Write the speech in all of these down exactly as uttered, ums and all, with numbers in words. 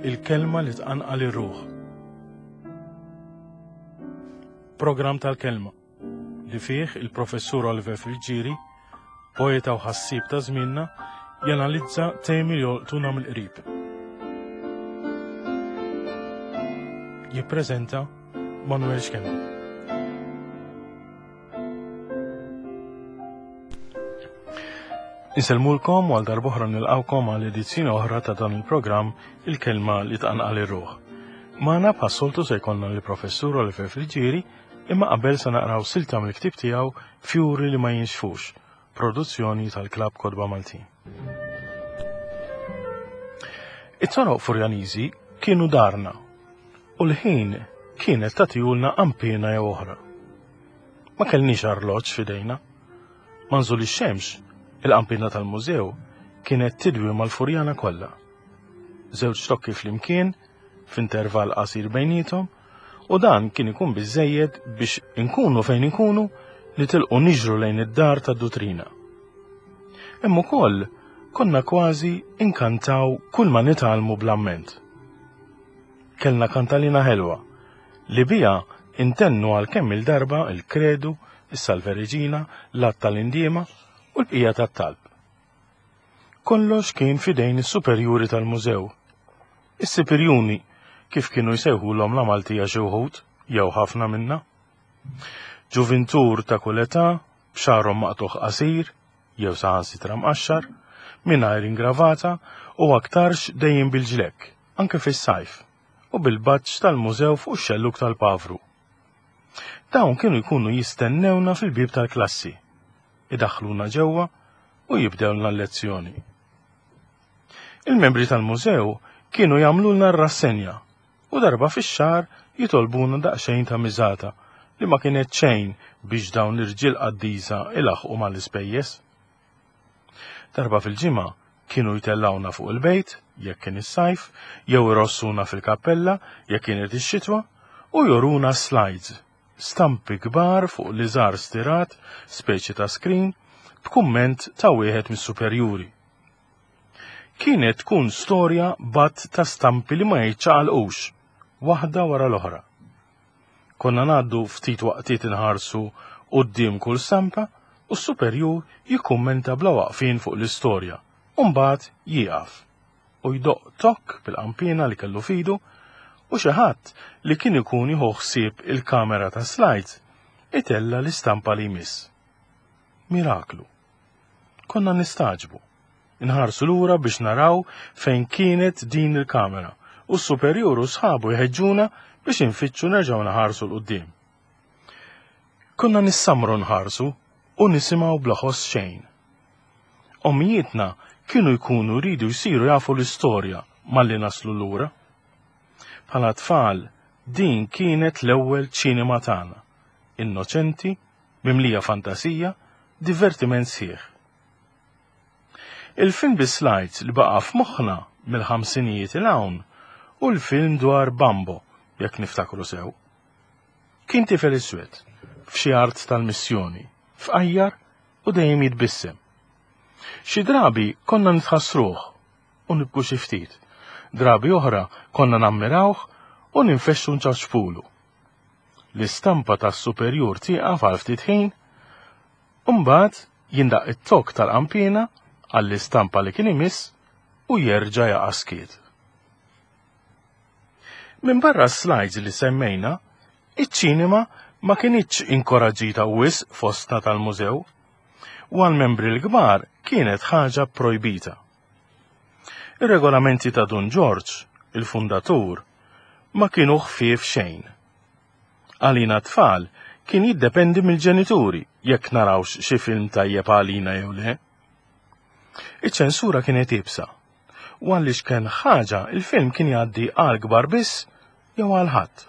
Il-kelma li tqanqal ir-ruħ. Programm tal-kelma li fih il-professur Oliver Friggieri, poeta u ħassieb ta' żmienna, janalizza temi li jolqtuna mill-qrib. Jippreżenta Manuel Schembri. Insellmulkom u għal darb'oħra nilqawkom għal edizzjoni oħra ta' dan il-programm Il-Kelma li Tqanqal ir-Ruħ. Magħna bħas-soltu se jkollna lill-Professur Oliver Friggieri, imma qabel se naqraw silta mill-ktieb tiegħu Fjuri li ma Jinxfux, produzzjoni tal-Klabb Kotba Maltin. It-toroq Furjaniżi kienu darna u l-ħin kienet tagħtihulna qanpiena jew oħra. Ma kellniex arloġġ f'idejna. Ma nżul ix-xemx, il-qanpiena tal-mużew kienet tidwi mal-Furjana kollha. Żewġ tokki flimkien, f'intervall qasir bejniethom, u dan kien ikun biżżejjed biex inkunu fejn inkunu nitilqu niġru lejn id-dar tad-dutrina. Hemm ukoll konna kważi inkantaw kull ma nitgħallmu bl-amment. Kellna kantalina ħelwa li biha intennu għal kemm il-darba il-kredu, is-Salve Regina, l-att tal-indiema u l-bqija tat-talb. Kollox kien fidejn is-superjuri tal-mużew. Is-superjuni, kif kienu jsejħulhom la Maltija xi wħud, jew ħafna minna. Ġuvintur ta' kull età, b'xagħarhom maqtugħ qasir, jew saħansitra mqaxxar, mingħajr ingravata u aktarx dejjem bil-ġlekk, anke fis-sajf, u bil-baġġ tal-mużew fuq ix-xellug tal-pavru. Dawn kienu jkunu jistennewna fil-bieb tal-klassi, idaħħluna ġewwa u jibdewlna l-lezzjoni. Il-membri tal-mużew kienu jagħmlulna r-rassenja u darba fix-xahar jitolbuna daqsxejn ta' miżata li ma kienet xejn biex dawn l-irġiel qaddisa ilaħqu mal-ispejjeż. Darba fil-ġimgħa kienu jtellgħuna fuq il-bejt jekk kien is-sajf, jew irossuna fil-kappella jekk kienet ix-xitwa u joruna slides, stampi kbar fuq liżar stirat, speċi ta' screen, b'kumment ta' wieħed mis-superjuri. Kienet tkun storja b'għadd ta' stampi li ma jiċċaqalqux, waħda wara l-oħra. Konna ngħaddu ftit waqtiet inħarsu quddiem kull stampa u s-superjur jikkummenta bla waqfien fuq l-istorja, u mbagħad jieqaf u jdoqq tokk bil-qanpiena li kellu fidu u xi ħadd li kien ikun jieħu ħsieb il-kamera ta' slides itella l-istampa li jmiss. Miraklu. Konna nistagħġbu. Inħarsu lura biex naraw fejn kienet din il-kamera u s-superjur u sħabu jħeġġuna biex infittxu nerġgħu naħarsu 'l quddiem. Konna nissamru nħarsu u nisimgħu bla ħoss xejn. Ommijietna kienu jkunu jridu jsiru jafu l-istorja malli naslu lura. Bħala tfal, din kienet l-ewwel ċinema tagħna, innoċenti, mimlija fantasija, divertiment sħiħ. Il-film bi slides li baqa' f'moħħna mill-ħamsinijiet 'il hawn hu l-film dwar Bambo, jekk niftakru sew. Kien tifel iswed, f'xi art tal-missjoni, fqajjar u dejjem jitbissem. Xi drabi konna nitħassruh u nibku xi ftit. Drabi oħra konna nammirawh u ninfexxu nċaċpulu. L-istampa tas-superjur tieqaf għal ftit ħin, u mbagħad jindaq it-tokk tal-qanpiena għall-istampa li kien imiss u jerġa' jaqa' skiet. Minbarra s-slides li semmejna, iċ-ċinema ma kinitx inkoraġġita wisq fostna tal-mużew, u għall-membri l-kbar kienet ħaġa projbita. Ir-regolamenti ta' Dun Ġorġ, il-fundatur, ma kienu ħfief xejn. Għalina tfal kien jiddependi mill-ġenituri jekk narawx xi film tajjeb għalina jew le. Iċ-ċensura kienet iebsa, u għaliex kien ħaġa il-film kien jgħaddi għal kbar biss jew għal ħadd.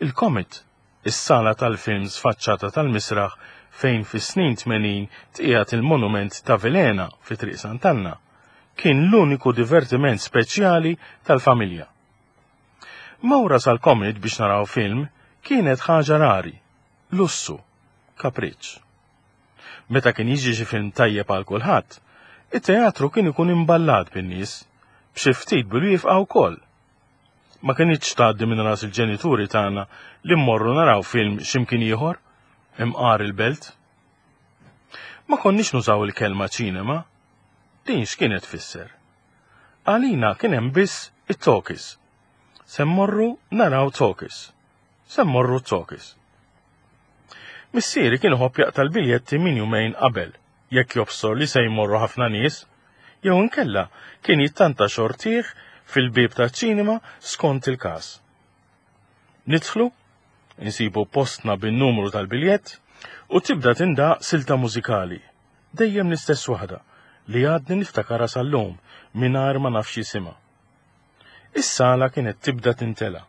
Il-Comet, is-sala tal-films faċċata tal-misraħ fejn fis-snin tmenin tqiegħed il-monument ta' Vilhena fi Triq Sant'Anna, kien l-uniku divertiment speċjali tal-familja. Mawra sal-Comet biex naraw film kienet ħaġa rari, lussu, kapriċċ. Meta kien jiġi xi film tajjeb għal kulħadd, it-teatru kien ikun imballat bin-nies, B'xi ftit bil-wieqfa wkoll. Ma kinitx tgħaddi minn ras il-ġenituri tagħna li mmorru naraw film x'imkien ieħor, imqar il-belt. Ma konniex nużaw il-kelma ċinema. Din x'kienet tfisser? Għalina kien hemm biss it-talkies. Se mmorru naraw talkies. Se mmorru talkies. Missieri kien iħobb jaqta' l-biljetti minn jumejn qabel, jekk jobsor li se jmorru ħafna nies, jew inkella kien jittanta xortih fil-bieb taċ-ċinema skont il-każ. Nidħlu, insibu postna bin-numru tal-biljett u tibda tindaq silta mużikali, dejjem l-istess waħda li għadni niftakarha sal-lum mingħajr ma nafx jisimha. Is-sala kienet tibda tintela.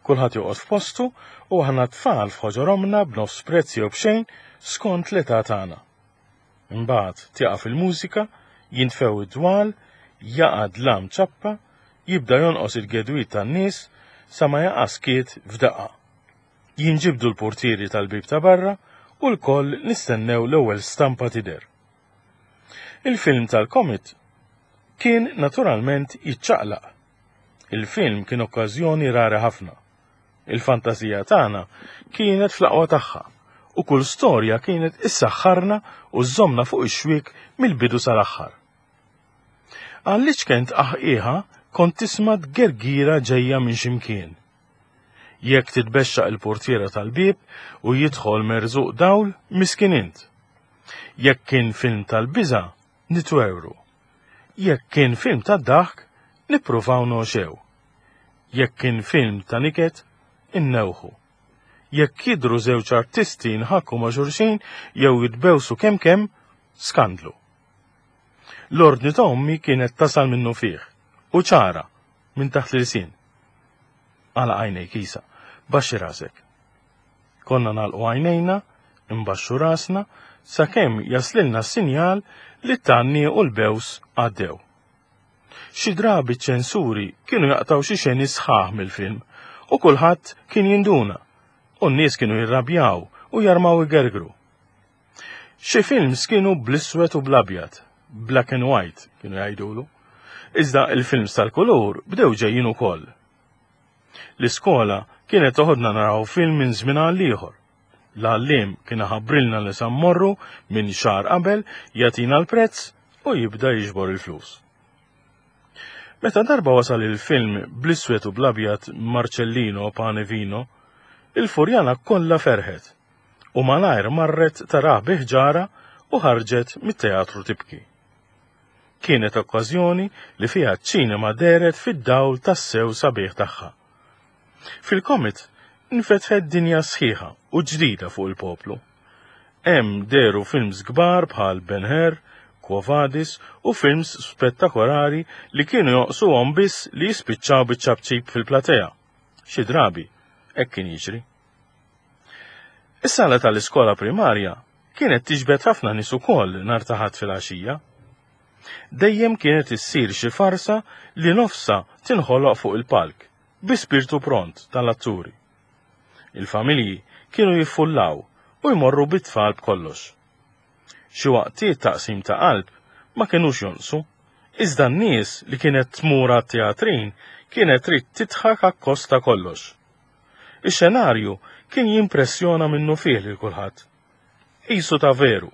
Kulħadd joqgħod f'postu u aħna tfal f'ħoġor ommna b'nofs prezz jew b'xejn skont l-età tagħna. Imbagħad tieqaf il-mużika, jintfew id-dwal, jaqa' dlam ċappa, jibda jonqos il-gedwit tan-nies sa ma jaqa' skiet f'daqqa. Jinġibdu l-portieri tal-bieb ta' barra u lkoll nistennew l-ewwel stampa tidher. Il-film tal-Comet kien naturalment jiċċaqlaq. Il-film kien okkażjoni rari ħafna. Il-fantasija tagħna kienet fl-aqwa tagħha u kull storja kienet issaħħarna u żżommna fuq ix-xwiek mill-bidu sal-aħħar. Għaliex kent aħqiħa kont tisma' tgergira ġejja minn x'imkien. Jekk titbexxaq il-portiera tal-bieb u jidħol merżuq dawl, miskin int. Jekk kien film tal-biża', nitwewru. Jekk kien film tad-daħk, nippruvaw noxew. Jekk kien film ta' niket, innewħu. Jekk jidhru żewġ artisti nħakku ma' xulxin jew jitbewsu kemm kemm, skandlu. L-ordni ta' ommi kienet tasal minnu fih u ċara minn taħt l-ilsien. Għala għajnejk isa, baxxi rasek. Konna nagħlqu għajnejna, imbaxxu rasna, sakemm jaslilna s-sinjal li t-tanni u l-bews għaddew. Xi drabi ċ-ċensuri kienu jaqtaw xi xeni sħaħ mill-film u kulħadd kien jinduna u n-nies kienu jirrabjaw u jarmaw igergru. Xi films kienu bl-iswed u bl-abjad, black and white kienu jgħidulu. Iżda il-films tal-kulur bdew ġejjin ukoll. L-iskola kienet toħodna naraw film minn żmien għal ieħor. L-għalliem kien iħabbrilna li sa mmorru minn xahar qabel, jagħtina l-prezz u jibda jiġbor il-flus. Meta darba wasal il-film bl-iswed u bl-abjad Marcellino Pane Vino, il-Furjana kollha ferħet u malajr marret tarah bi ħġara u ħarġet mit-teatru tibki. Kienet okkażjoni li fiha ċ-ċinema dehret fid-dawl tas-sew sabiħ tagħha. Fil-Comet nfetħet dinja sħiħa u ġdida fuq il-poplu. Hemm dehru films kbar bħal Ben-Hur, Quo Vadis u films spettakolari li kienu joqsuhom biss li jispiċċaw biċ-ċapċip fil-platea. Xi drabi hekk kien jiġri. Is-sala tal-iskola primarja kienet tiġbed ħafna nies ukoll nhar ta' Ħadd filgħaxija. Dejjem kienet issir xi farsa li nofsa tinħoloq fuq il-palk bi spirtu pront tal-atturi. Il-familji kienu jiffullaw u jmorru bit-tfal b'kollox. Xi waqtiet taqsim ta' qalb ma kinux jonqsu, iżda n-nies li kienet tmur għat-teatrin kienet trid tidħak akkost ta' kollox. Ix-xenarju kien jimpressjona minnu fih lil kulħadd. Qisu ta' veru,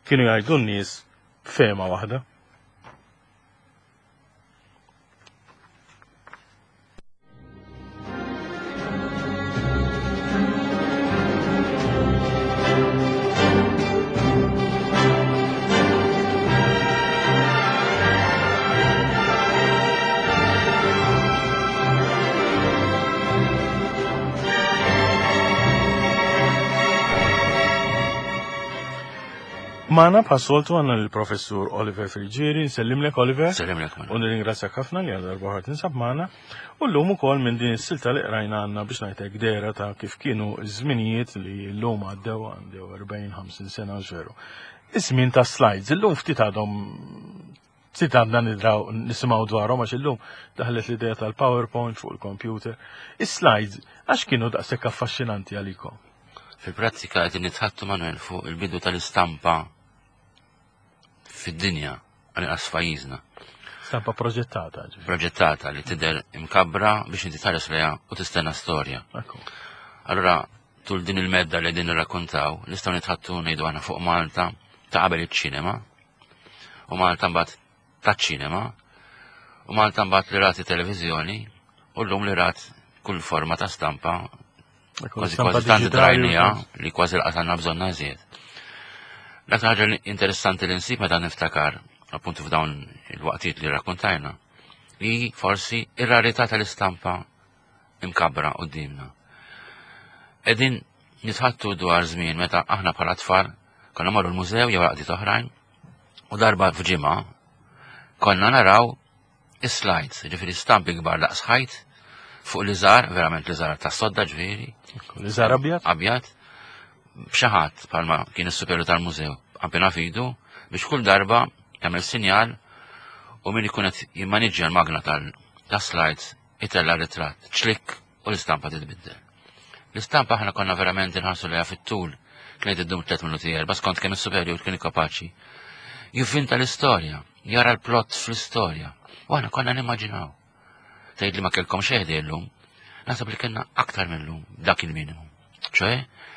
kienu jgħidu n-nies b'fehma waħda. Magħna bħas-soltu għandna lill-Professur Oliver Friggieri. Nsellimlek Oliver. Nsellimlek, Manuel. U nirringrazzjak ħafna li għal darba oħra tinsab magħna. U llum ukoll minn din is-silta li qrajna għandna biex ngħidlek dehra ta' kif kienu ż-żminijiet li llum għaddew għandew erbgħin ħamsin sena veru. Iż-żmien ta' slides, illum ftit għadhom ftit għadna nidraw nisimgħu dwarhom għax illum daħlet l-idea tal-PowerPoint fuq il-computer. Is-slides għax kienu daqshekk affaxxinanti għalikom? Fil-prattika qegħdin nitħattu Manuel fuq il-bidu tal-istampa fid-dinja, għal-inqas f'pajjiżna. Stampa proġettata. Proġettata li tidher imkabbra biex inti tħares lejha u tistenna storja. Allura, tul din il-medda li din nirrakkontaw, nistgħu nitħaddtu, ngħidu aħna, fuq Malta ta' qabel iċ-ċinema u Malta mbagħad taċ-ċinema u Malta mbagħad li rat televiżjoni u llum li rat kull forma ta' stampa, kważi kważi tant drajnija li kważi lanqas għandna bżonn iżjed. L-aktar ħaġa interessanti li nsib meta niftakar appuntu f'dawn il-waqtiet li rakkontajna, li forsi ir-rarità tal-istampa imkabbra qudiemna. Qegħdin nitħaddtu dwar żmien meta aħna bħala tfal konna marru l-mużew jew għaqdiet oħrajn u darba f'ġimgħa konna naraw is-slides, ġifieri stampi kbar daqs ħajt fuq l-iżar, verament l-iżar ta' sodda ġifieri. L-iżar abjad? Abjad, b'xi ħadd bħalma kien is-superjur tal-mużew, qanpiena f'idu biex kull darba jagħmel sinjal u min ikun qed jimmaniġġja l-magna tal-slides itella' ritratt, ċlik, u l-istampa titbiddel. L-istampa aħna konna verament inħarsu lejha fit-tul, kienet iddum tliet minuti, erba', skont kemm is-superjur kien kapaċi jivvinta l-istorja, jara l-plot fl-istorja. U aħna konna nimmaġinaw. Tgħid li ma kellkom xejn llum, naħseb li kellna aktar mill-lum dak il-minimu. ċoè,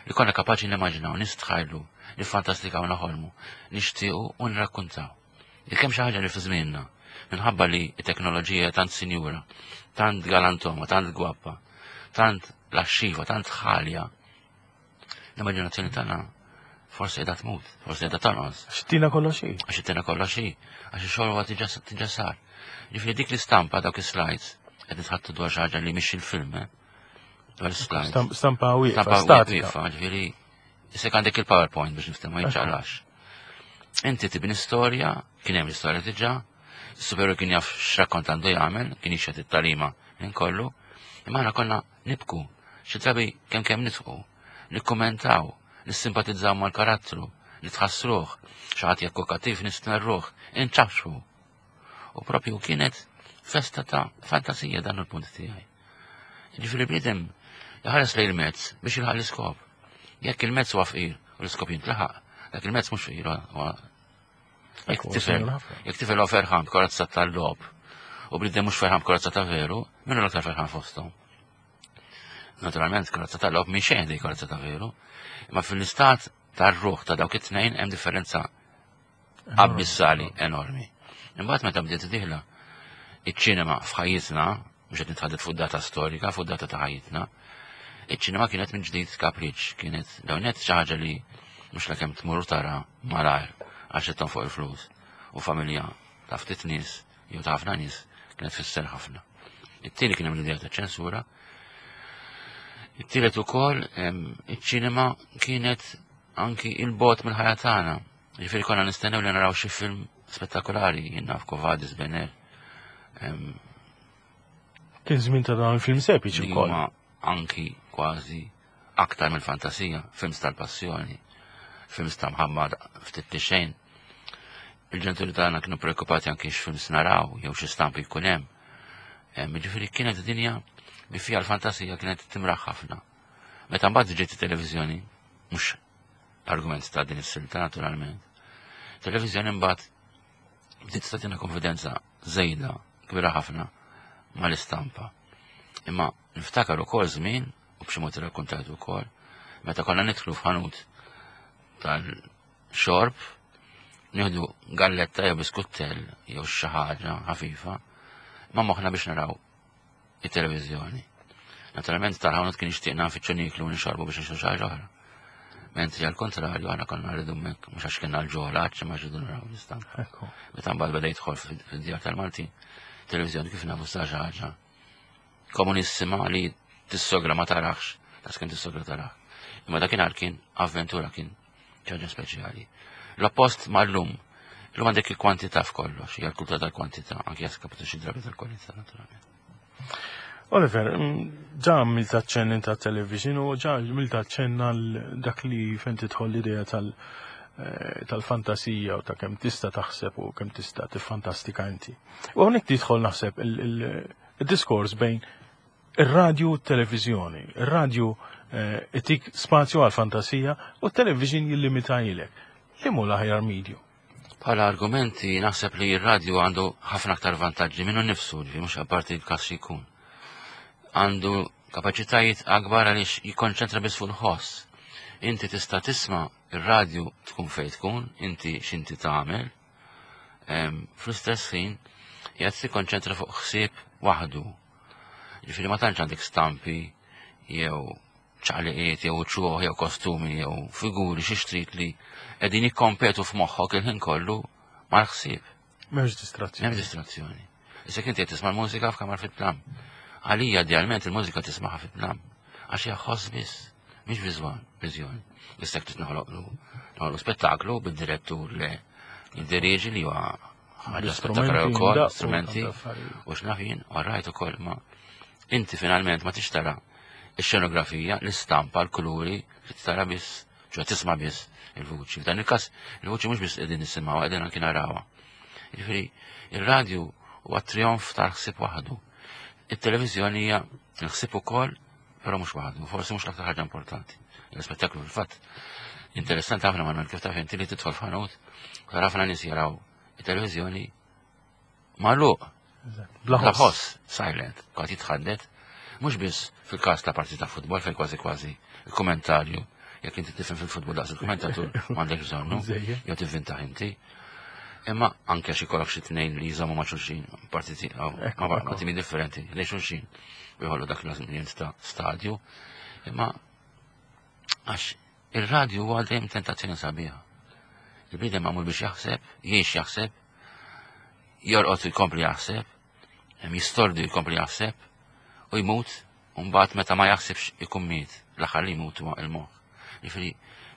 li konna kapaċi nimmaġinaw, nistħajlu, nifantastikaw, naħolmu, nixtiequ u nrakkuntaw. Jekk hemm xi ħaġa li fi żmienna, minħabba li t-teknoloġija tant sinjura, tant galantoma, tant gwappa, tant laxxiva, tant ħalja, l-immaġinazzjoni tagħna forsi qiegħda tmut, forsi qiegħda tonqos. Għax ittina kollox hi. Għax ittina kollox hi, għax ix-xogħol huwa diġà sar. Ġifieri dik l-istampa, dawk is-slides, qed nitħaddtu dwar xi ħaġa li mhix il-film, eh? Dwar is-slides. Stampa wieqfa, Stampa statika. wieqfa, ġifieri issek għandek il-PowerPoint biex niftehmu, ma jiċċaqlax. Inti tibni storja, kien hemm l-istorja diġà, is-superjur kien jaf x'rakkont għandu jagħmel, kien jixhed it-tagħlima minn kollu, imma aħna konna nibku, xi drabi kemm kemm nidħku, nikkummentaw, nissimpatizzaw mal-karattru, nitħassruh, xi ħadd jekk hu kattiv nistmerruh, inċafxu. U propju kienet festa ta' fantasija, dan il-punt tiegħi. Ġifieri bniedem jħares lejn il-mezz biex jilħaq l-iskop. Jekk il-mezz huwa fqir u l-iskop jintlaħaq, dak il-mezz mhux fqir huwa. Jekk tifel, jekk tifel huwa ferħan b'karozza tal-logħob u bniedem mhux ferħan b'karozza ta' veru, min hu l-aktar ferħan fosthom? Naturalment, karozza tal-logħob minn xejn di karozza ta' veru, imma fil-istat tar-ruħ ta' dawk it-tnejn hemm differenza abissali, enormi. Imbagħad meta bdiet dieħla iċ-ċinema f'ħajjitna, mhux qed nitħaddet fuq data storika, fuq data ta' ħajjitna, iċ-ċinema kienet minn ġdid kapriċ, kienet dawnet xi ħaġa li mhux la kemm tmur tara malajr għax qed fuq il-flus. U familja ta' ftit nies jew ta' ħafna nies kienet fisser ħafna. It-tieni, kien hemm l-idea ta' ċensura. It-tielet ukoll, iċ-ċinema kienet anki il-bogħod mill-ħajja tagħna. Ġifieri konna nistennew li naraw xi film spettakolari, jien naf, Quo Vadis, Ben-Hur. Kien żmien ta' dawn il-film epiċi Li wkoll. huma anki kważi aktar mill-fantasija, films tal-passjoni, films ta' mħabba ftit li xejn. Il-ġenituri tagħna kienu preokkupati anki x'films naraw jew xi stampi jkun hemm. Em, Ġifieri kienet dinja li fiha l-fantasija kienet timraħ ħafna. Meta mbagħad ġiet it-televiżjoni, mhux argument ta' din is-silta naturalment. Televiżjoni mbagħad bdiet tagħtina konfidenza żejda kbira ħafna mal-istampa. Imma niftakar ukoll żmien, u b'xi mod irrakkontajt ukoll, meta konna nidħlu f'ħanut tal-xorb, nieħdu galletta jew biskuttell jew xi ħaġa ħafifa, ma moħħna biex naraw it-televiżjoni. Naturalment tal-ħanut kien jixtieqna nfittxu nieklu u nixorbu biex nixtru xi ħaġa oħra. Mentri għal kontrarju aħna konna rridu hemmhekk mhux għax kienna l-ġola, għax ma rridu naraw l-istampa. Ekku. Meta mbagħad beda jidħol fid-djar tal-Maltin, televiżjoni kif nafu sa xi ħaġa komunissima li tissogra ma tarax, tas kien tissogra tarax. Imma dakinhar kien avventura, kien ħaġa speċjali. L-oppost ma' llum, llum għandek il-kwantità f'kollox, hija l-kultura tal-kwantità, anki jaskapitu xi drabi tal-kwalità naturalment. Oliver, mm, ġa għamilt aċċenn ta' television u ġa għamilt aċċenn għal dak li fejn tidħol l-idea tal- eh, tal-fantasija u ta' kemm tista' taħseb u kemm tista' tiffantastika inti. U hawnhekk tidħol naħseb il- il- il-diskors bejn ir-radju u t-televiżjoni. Ir-radju eh, itik spazju għal fantasija u t-television jillimita ilek. Li mu l-aħjar medium? Bħala argumenti naħseb li r-radju għandu ħafna aktar vantaġġi minnu nnifsu, ġifieri mhux apparti l-każ xi jkun. Għandu kapaċitajiet akbar għaliex jikkonċentra biss fuq il-ħoss. Inti tista' tisma' ir-radju tkun fejn tkun, inti x'inti tagħmel. Fl-istess ħin qiegħed tikkonċentra fuq ħsieb waħdu. Ġifieri ma tantx għandek stampi jew ċaqliqiet jew uċuħ jew kostumi jew figuri xi xtrid li qegħdin jikkompetu f'moħħok il-ħin kollu mal-ħsieb. M'hemmx distrazzjoni. M'hemmx distrazzjoni. Issa inti qed tisma' l-mużika f'kamar fit-tlam. Għalija idealment il-mużika tismagħha fit-tlam. Għax hija ħoss biss, mhix viżwal, viżjoni. Issa trid noħloqlu noħolqu spettaklu bid-direttur li jiddirieġi li huwa ħaġa spettakolari wkoll, strumenti u x'naf jien, all right ukoll ma inti finalment ma tixtara ix-xenografija, l-istampa, l-kuluri, li tara biss, ċoè tisma' biss il-vuċi. F'dan il-każ il-vuċi mhux biss qegħdin nisimgħuha, qegħdin anki narawha. Jiġifieri ir-radju huwa trionf tal-ħsieb waħdu. It-televiżjoni hija l-ħsieb ukoll, però mhux waħdu, forsi mhux l-aktar ħaġa importanti. L-ispettaklu fil-fatt interessanti ħafna ma kif taf inti li tidħol f'ħanut, tara ħafna nies jaraw it-televiżjoni magħluq. Bla ħoss, silent, kważi jitħaddet. Mhux biss fil-każ ta' partita futbol fejn kważi kważi il-kommentarju, jekk inti tifhem fil-futbol daqs il-kommentatur m'għandek bżonnu, jew tivvinta inti. Imma anke xi kollok xi tnejn li jżommu ma' xulxin, partiti ma' timi differenti, li xulxin u jħollu dak l-ambjent ta' stadju. Imma għax ir-radju huwa dejjem tentazzjoni sabiħa. Il-bniedem magħmul biex jaħseb, jgħix jaħseb, jorqod jkompli jaħseb, jistordi jkompli jaħseb, u jmut, u mbagħad meta ma jaħsibx ikun miet, l-aħħar li jmut huwa il-moħħ. Jiġifieri,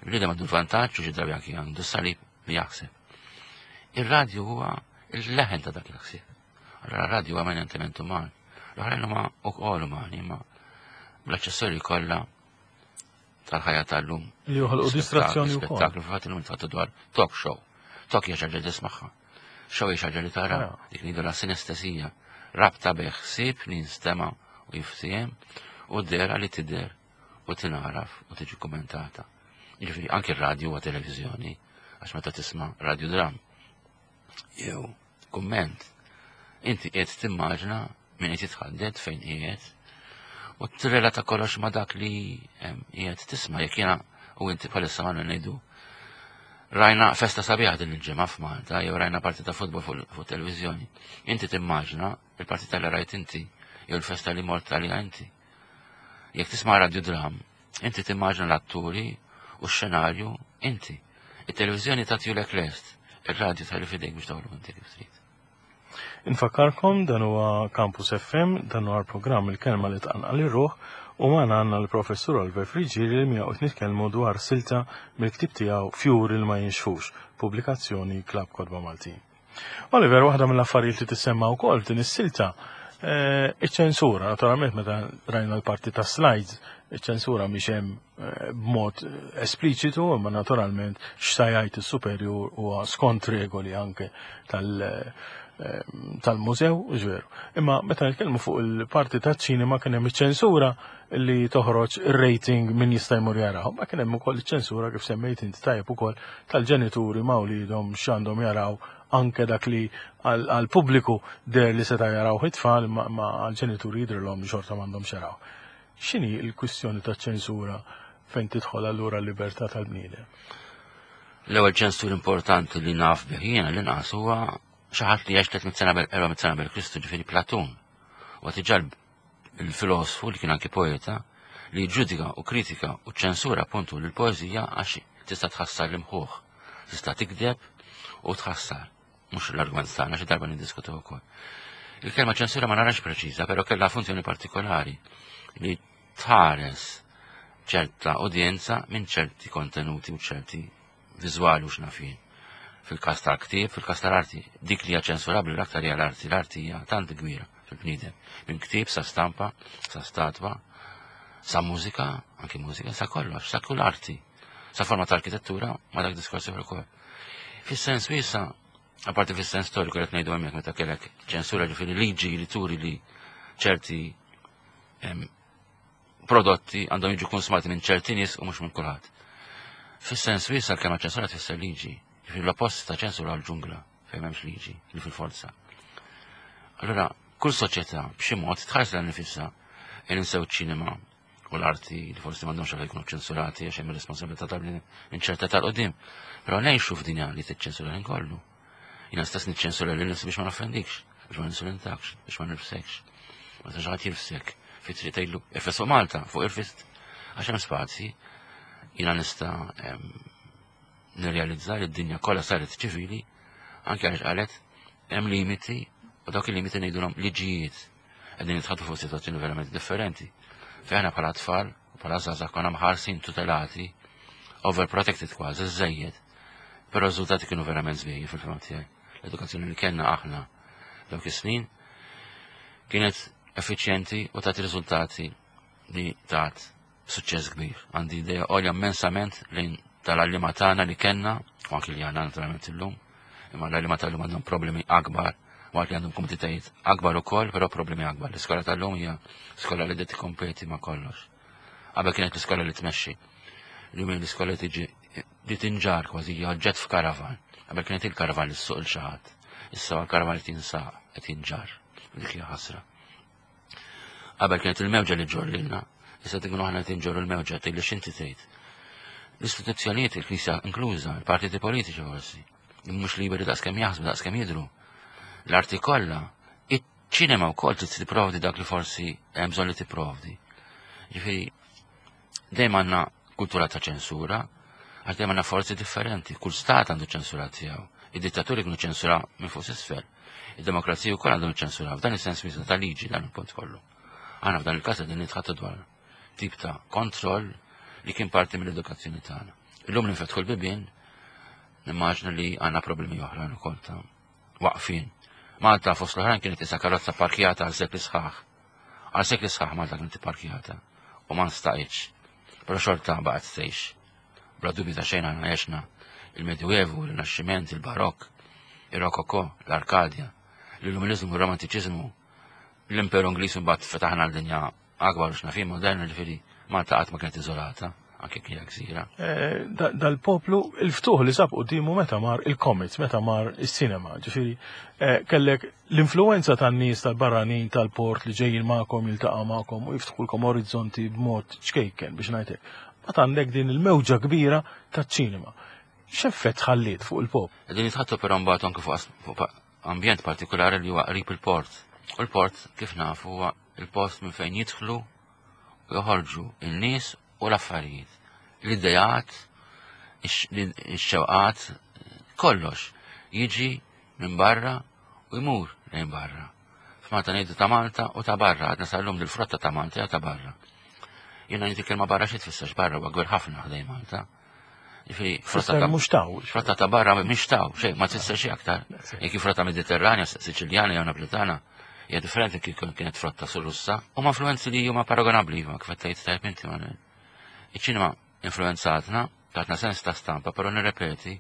il-bniedem għandu l-vantaġġ u xi drabi anki għandu salib li jaħseb. Ir-radju huwa il-leħen ta' dak il-ħsieb. Allora r-radju huwa eminentement uman. L-oħrajn huma wkoll umani, imma bl-aċċessorji kollha tal-ħajja tal-lum. Li joħolqu distrazzjoni wkoll. Spettaklu fil-fatt illum tħattu dwar talk show. Talk hija xi ħaġa li tismagħha. Show hija xi ħaġa li tara. Dik ngħidu la sinestesija. Rabta bejn ħsieb li jinstema' u jiftiehem u dera li tidher u tinaraf u tiġi kommentata. Jiġifieri anke r-radju huwa televiżjoni għax meta tisma' radiodram jew kumment inti qiegħed timmaġna min qed jitħaddet fejn qiegħed u tirrelata kollox ma' dak li qiegħed tisma' jekk jiena u inti bħalissa ma ngħidu rajna festa sabiħa din il-ġimgħa f'Malta jew rajna partita futbol fuq televiżjoni. Inti timmaġna il-partita li rajt inti jew il-festa li mort għaliha inti. Jekk tisma' radiodram, inti timmaġna l-atturi u x-xenarju inti. Il-televiżjoni tagħtihulek lest, ir-radju tħalli f'idejk biex toħloq inti kif trid. Infakkarkom dan huwa Campus F M, dan huwa l-programm Il-Kelma li Tqanqal ir-Ruħ u magħna għandna l-Professur Oliver Friggieri li miegħu qed nitkellmu dwar silta mill-ktieb tiegħu Fjuri li ma jinxfux, pubblikazzjoni Klabb Kotba Maltin. Oliver, waħda mill-affarijiet li tissemma wkoll f'din is-silta eh, iċ-ċensura, naturalment meta rajna l-parti ta' slides, iċ-ċensura mhix hemm eh, b'mod espliċitu, imma naturalment x'sa jgħid is-superjur huwa skont regoli anke tal- eh, tal-mużew, ġveru. Imma meta nitkellmu fuq il-parti ta' ċinema kien hemm iċ-ċensura li toħroġ ir-rating min jista' jmur jaraw. Ma kien hemm ukoll iċ-ċensura kif semmejt inti tajjeb ukoll tal-ġenituri ma' wliedhom x'għandhom jaraw anke dak li għal-pubbliku der li seta' jaraw it-tfal ma għal-ġenituri jidrilhom li xorta m'għandhom jaraw. X'inhi l-kwistjoni ta' ċensura fejn tidħol allura l-libertà tal-bniedem? L-ewwel ċensur importanti li naf bih jiena l-inqas huwa xi ħadd li għex tliet mitt sena erba' mitt sena qabel Kristu, ġifieri Platun. U diġà il-filosofu li kien anki poeta li ġudika u kritika u ċensura appuntu l-poeżija għax tista' tħassar l-imħuħ, tista' tikdeb u tħassar. Mhux l-argument tagħna xi darba niddiskutu wkoll. Il-kelma ċensura ma narax preċiża, però kellha funzjoni partikolari li tħares ċerta udjenza minn ċerti kontenuti u ċerti viżwali u x'naf jien. Fil-każ tal-ktieb, fil-każ tal-arti, dik li hija ċensurabbli l-aktar hija l-arti, l-arti hija tant kbira fil-bniedem. Minn ktieb sa stampa, sa statwa, sa mużika, anki mużika, sa kollox, sa kull arti, sa forma ta' arkitettura, ma dak diskors ukoll. Fis-sens wiesa, apparti fis-sens storiku qed ngħidu hemmhekk meta kellek ċensura ġifieri liġi li turi li ċerti prodotti għandhom jiġu konsumati minn ċerti nies u mhux minn kulħadd. Fis-sens wiesa l-kelma ċensura tfisser liġi. Ġifieri l-oppost ta' ċensura l-ġungla fejn m'hemmx liġi li fil-forza. Allura, kull soċjetà b'xi mod tħares lil nifisha ninsew ċinema u l-arti li forsi m'għandhomx għalfejn jkunu ċensurati għax hemm ir-responsabilità tal-inċerta tal-qudiem. Però ngħixu f'dinja li tiċċensura ħin kollu. Jiena stess niċċensura lil nifsi biex ma noffendikx, biex ma ninsulentakx, biex ma nirfsekx. Ma tax ħadd jirfsek fi triq tgħidlu irfes fuq Malta, fuq irfist għax hemm spazji. Jiena nista' nirrealizza li d-dinja kollha saret ċivili anke għaliex qalet hemm limiti u dawk il-limiti ngħidulhom liġijiet qegħdin nitħaddtu fuq sitwazzjoni verament differenti. Fejn aħna bħala tfal u bħala żgħażagħ konna mħarsin tutelati, overprotected kważi, żejjed. Però r-riżultati kienu verament sbieħ fil-fehma tiegħi. L-edukazzjoni li kellna aħna dawk is-snin kienet effiċjenti u tat riżultati li tat suċċess kbir. Għandi idea għolja immensament lejn tal-għalliema tagħna li kellna, u anki li għandna naturalment illum, imma l-għalliema tal-lum għandhom problemi akbar, waqt li għandhom komoditajiet akbar ukoll, però problemi akbar. L-iskola tal-lum hija skola li tikkompeti ma' kollox. Qabel kienet l-iskola li tmexxi. Illum hija l-iskola li tiġi li tinġar kważi hija oġġett f'karavan. Qabel kienet il-karavan li ssuq il xi ħadd. Issa l-karavan li tinsaq qed jinġar. Dik hija ħasra. Qabel kienet il-mewġa li ġġorr lilna, issa tkunu aħna qed inġorru l-mewġa tgħid li x'inti tgħid. L-istituzzjonijiet, il-Knisja inkluża, il-partiti politiċi forsi, mhux liberi daqskemm jaħsbu, daqskemm jidhru. L-arti kollha, iċ-ċinema wkoll trid tipprovdi dak li forsi hemm bżonn li tipprovdi. Ġifieri dejjem għandna kultura ta' ċensura, għax dejjem għandna forzi differenti, kull stat għandu ċensura tiegħu. Id-dittaturi kienu ċensura minn fuq s'isfel. Id-demokrazija wkoll għandhom ċensura, f'dan is-sens miża ta' liġi dan il-punt kollu. Aħna f'dan il-każ qegħdin nitħaddtu dwar tip ta' kontroll li kien parti mill-edukazzjoni tagħna. Illum li nfetħu l-bibien, nimmaġna li għandna problemi oħrajn ukoll ta' waqfin. Malta fost l-oħrajn kienet isa karozza parkjata għal sekli sħaħ. Għal sekli sħaħ Malta kienet parkjata u ma nstaqitx. Però xorta baqgħet tgħix. Bla dubju ta' xejn aħna għexna il-Medjuevu, il-Rinaxximent, il-Barokk, il-Rokoko, l-Arkadja, l-Illuminizmu, il-Romantiċiżmu, l-Imperu Ingliż mbagħad fetaħna l-dinja akbar u x'naf jien moderna ġifieri Malta qatt ma kienet iżolata, anke kien gżira. Eh, dal-poplu il-ftuħ li sab quddiemu meta mar il-comics, meta mar is-cinema, ġifieri eh, kellek l-influenza tan-nies tal-barranin tal-port li ġejjin magħkom jiltaqa' magħkom u jiftħulkom orizzonti b'mod ċkejken biex ngħidlek. Mbagħad għandek din il-mewġa kbira taċ-ċinema. X'effett ħalliet fuq il-pop? Qegħdin jitħaddtu però mbagħad anke fuq ambjent partikolari li huwa qrib il-port. U l-port kif nafu huwa il-post minn fejn jidħlu u joħorġu in-nies u l-affarijiet. L-idejat, ix-xewqat, kollox jiġi minn barra u jmur lejn barra. F'Malta ngħidu ta' Malta u ta' barra, għadna sal-lum dil-frotta ta' Malta jew ta' barra. Jiena ngħid il-kelma barra xi tfisser barra huwa kbir ħafna ħdejn Malta. Ġifieri frotta ta' mhux taw. Frotta ta' barra mhix taw, xejn ma tfisser xi aktar. Jekk frotta Mediterranja, Siċiljana jew Napolitana, hija differenti kif kienet frotta sur-Russa. Huma influenzi li huma paragonabbli ma kif qed tgħid tajjeb inti ma. Iċ-ċinema influenzatna, tatna sens ta' stampa, però nirrepeti,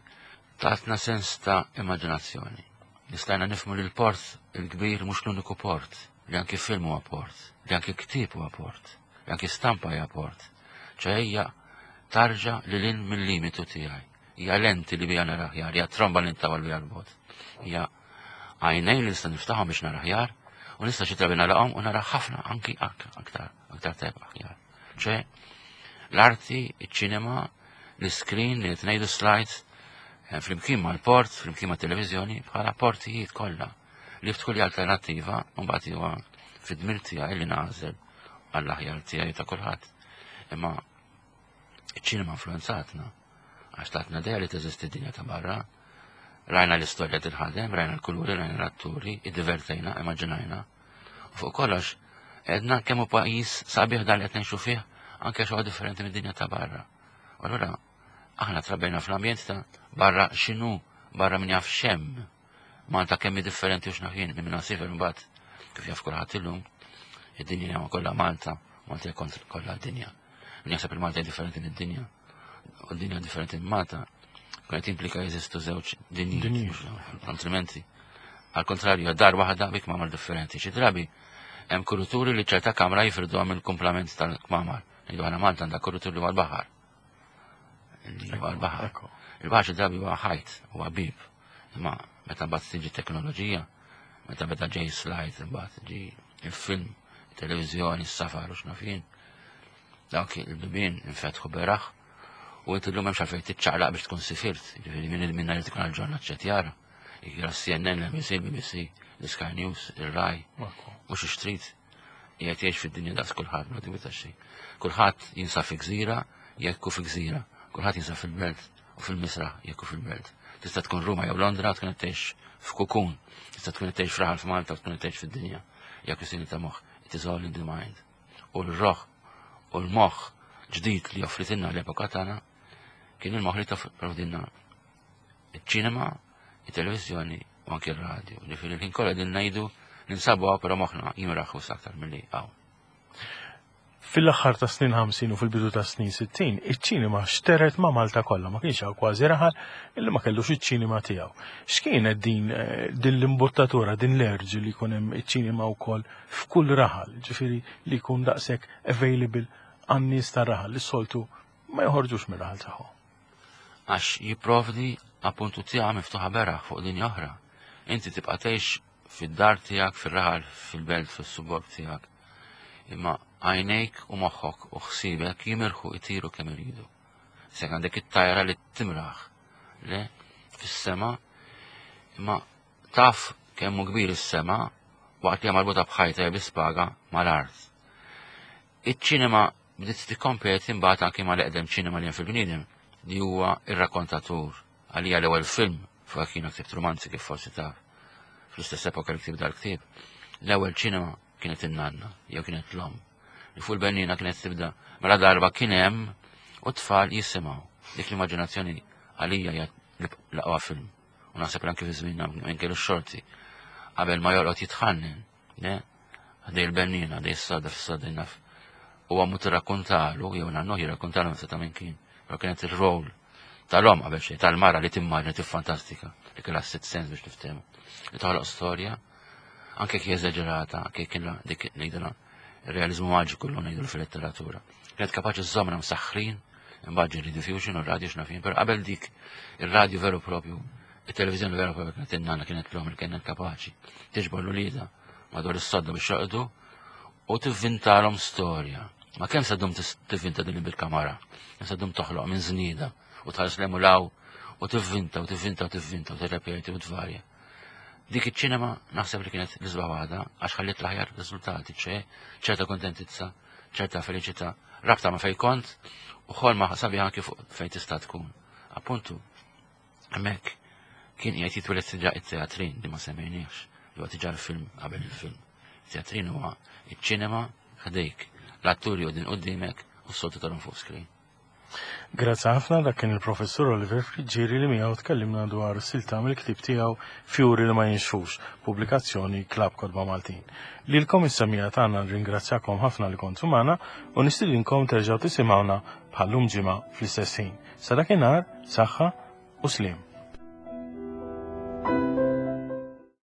tatna sens ta' immaġinazzjoni. Nistajna nifhmu li l-port il-kbir mhux l-uniku port, li anki film huwa port, li anki ktieb huwa port, li anki stampa hija port. ċe hija tarġa li lin mill-limitu tiegħi. Hija lenti li bija nara aħjar, hija tromba li ntawal bija l-bot. Hija għajnejn li nista' niftaħhom biex nara aħjar u nista' xi drabi nagħlaqhom u nara ħafna anki aktar aktar tajb aħjar. ċe l-arti, iċ-ċinema, l-screen li qed ngħidu slides, eh, flimkien mal-port, flimkien mat-televiżjoni, bħala portijiet kollha li ftħu li alternattiva u mbagħad huwa fid-dmir tiegħi li nagħżel għall-aħjar tiegħi ta' kulħadd. Imma iċ-ċinema influenzatna għax tatna idea li teżisti dinja ta' barra, rajna l-istorja tinħadem, rajna l-kuluri, rajna l-atturi, iddivertejna, immaġinajna. U fuq kollox, għedna kemm hu pajjiż sabiħ dan li qed ngħixu fih, anke xi differenti mid-dinja ta' barra. U allura aħna trabbejna fl-ambjent ta' barra x'inhu, barra min jaf x'hemm. Malta kemm hi differenti u x'naf jien minn minn sifer imbagħad kif jaf kulħadd illum, id-dinja hija kollha Malta, Malta hija kontra kollha d-dinja. Min jaħseb il-Malta hija differenti mid-dinja, u d-dinja differenti minn Malta, kienet implika jeżistu żewġ dinji, Dinji. altrimenti. Al kontrarju, dar waħda bi kmamar differenti. Xi drabi hemm kuruturi li ċerta kamra jifirduha mill-kumplament tal-kmamar. Ngħidu aħna Malta għandha kurutur li huwa l-baħar. Li huwa l-baħar. Ekku. Il-baħar xi drabi huwa ħajt, huwa bib. Imma meta mbagħad tiġi teknoloġija, meta beda ġej slide, imbagħad ġi il-film, il-televiżjoni, s-safar u x'naf jien. Dawk il-bibien infetħu beraħ u inti llum hemmx għalfejn tiċċaqlaq biex tkun sifirt, jiġifieri min minna li tkun għal-ġurnat x'qed jara. Jara C N N, l-N B C, B B C, l-Sky News, il-Rai, mhux ixtrid. Qiegħed jgħix fid-dinja daqs kulħadd, ma dubju ta' xejn. Kulħadd jinsab fi gżira jekk hu fi gżira. Kulħadd jinsab fil-belt u fil-misraħ jekk hu fil-belt. Tista' tkun Ruma jew Londra tkun qed tgħix f'kukun. Tista' tkun qed tgħix f'raħal f'Malta u tkun qed tgħix fid-dinja. Hija kwistjoni ta' moħħ. It is all in the mind. U l-roħ u l-moħħ ġdid li offritilna l-epoka tagħna kien il-moħħ li toffridilna iċ-ċinema, it-televiżjoni u anke r-radio. Ġifieri l-ħin kollha din ngħidu ninsabu hawn, però moħħna jimraħ aktar milli hawn. Fil-aħħar ta' snin ħamsin u fil-bidu ta' snin sittin, iċ-ċinema xteret ma' Malta kollha, ma kienx hawn kważi raħal illi ma kellux iċ-ċinema tiegħu. X'kienet din eh, din l-imbuttatura, din l-urge li jkun hemm iċ-ċinema wkoll f'kull raħal, ġifieri li jkun daqshekk available għan-nies tar-raħal li soltu ma joħorġux mir-raħal tagħhom? Għax jipprovdi appuntu tiegħa miftuħa beraħ fuq dinja oħra. Inti tibqa' tgħix fid-dar tiegħek, fir-raħal, fil-belt, fis-suburb tiegħek. Imma għajnejk u moħħok u ħsiebek jimirħu, itiru kemm iridu. Se għandek it-tajra li timraħ, le, fis-sema, imma taf kemm hu kbir is-sema waqt li hija marbuta b'ħajta jew bi spaga mal-art. Iċ-ċinema bdiet tikkompeti mbagħad anke mal-eqdem ċinema li hemm fil-bniedem, li huwa ir-rakkontatur. Għalija l-ewwel film, fuq kienu ktibt romanzi kif forsi taf, fl-istess epoka li ktibt dal-ktieb, l-ewwel ċinema kienet in-nanna, jew kienet l-omm. Li fuq il-bennina kienet tibda, mela darba kien hemm u tfal jisimgħu. Dik l-immaġinazzjoni għalija hija l-aqwa film. U naħseb anke fi żmienna minn kellu xorti. Qabel ma jorqod jitħannen, ne? Ħdej il-bennina, ħdej is-soda, fis-soda naf. U għammu tirrakkontalu, jew nannu jirrakkontalu ta' minn kien. Però kienet il-rol tal-om qabel xejn, tal-mara li timmaġina, tiffantastika, li kellha sitt sens biex niftehmu. Li toħloq storja, anke kif eżaġerata, anke kien dik ngħidilha realizmu maġiku l ngħidu fil-letteratura. Kienet kapaċi żżommna msaħħrin, imbagħad ġie Rediffusion u r-radio x'naf jien, però qabel dik ir-radio veru propju, it-televiżjoni veru propju kienet in-nanna, kienet l-om li kienet kapaċi tiġbor l-ulieda madwar is-sodda biex joqdu u tivvintalhom storja. Ma kemm se ddum tivvinta din bil-kamara, kemm se ddum toħloq minn żnieda u tħares 'l hemm u 'l hawn u tivvinta u tivvinta u tivvinta u tirrepeti u tvarja. Dik iċ-ċinema naħseb li kienet l-isbaħ waħda għax ħalliet l-aħjar riżultati, ċe ċerta kontentizza, ċerta felicità, rabta ma' fej kont u ħolma sabiħa anke fuq fejn tista' tkun. Appuntu, hemmhekk kien qiegħed jitwieled diġà it-teatrin li ma semmejniex, li huwa diġà l-film qabel il-film. Teatrin huwa iċ-ċinema ħdejk, l-atturi u din qudiemek u s-soltu tarhom fuq screen. Grazzi ħafna. Dak kien il-professur Oliver Friggieri li miegħu tkellimna dwar silta mill-ktieb tiegħu Fjuri li ma jinxfux, pubblikazzjoni Klabb Kotba Maltin. Lilkom is-semmiegħa tagħna nringrazzjakom ħafna li kontu magħna u nistidinkom terġgħu tisimgħuna bħallum ġimgħa fl-istess ħin. Sa dakinhar, saħħa u sliem.